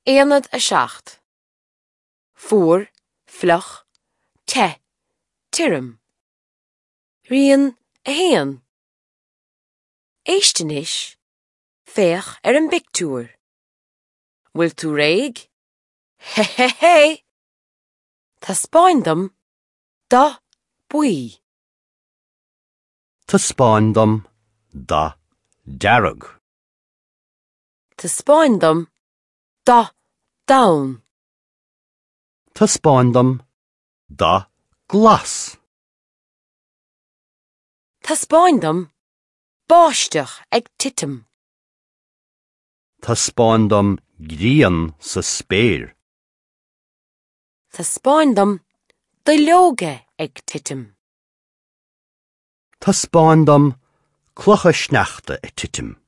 Aonad 7. Fuar, fliuch, te, tirim. Rian 1. Éist anois, féach ar an bpictiúr. Bhfuil tú réidh? Hé hé hé! Taispeáin dom dath buí. Taispeáin dom dath dearg. Taispeáin dom dath donn. Taispeáin dom dath glas. Taispeáin dom báisteach ag titim. Taispeáin dom grian sa spéir. Taispeáin dom duilleoga ag titim. Taispeáin dom clocha sneachta ag titim.